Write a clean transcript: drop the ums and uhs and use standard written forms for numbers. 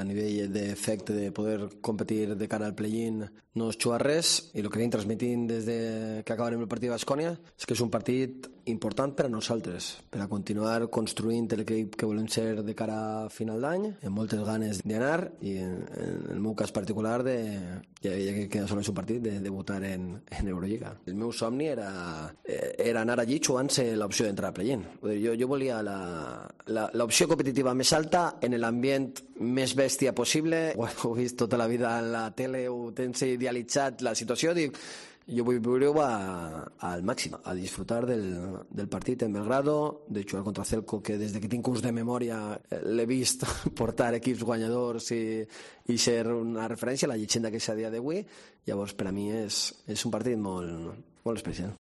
A nivell d'efecte de poder competir de cara al play-in no es juga res, i el que anem transmitint des que acabarem el partit de Baskonia és que és un partit important per a nosaltres, per a continuar construint l'equip que volem ser de cara a final d'any, amb moltes ganes d'anar, i en el meu cas particular ja que és un partit de debutar en Eurolliga. El meu somni era anar allí jugant-se l'opció d'entrar a play-in. Jo volia l'opció competitiva més alta en l'ambient més bèstia possible. Ho he vist tota la vida en la tele, ho tens idealitzat la situació, dic, jo vull viure-ho al màxim, a disfrutar del partit en Belgrado, de jugar contra Celco, que des que tinc curs de memòria l'he vist portar equips guanyadors i ser una referència a la llegenda que és a dia d'avui. Llavors, per a mi és un partit molt especial.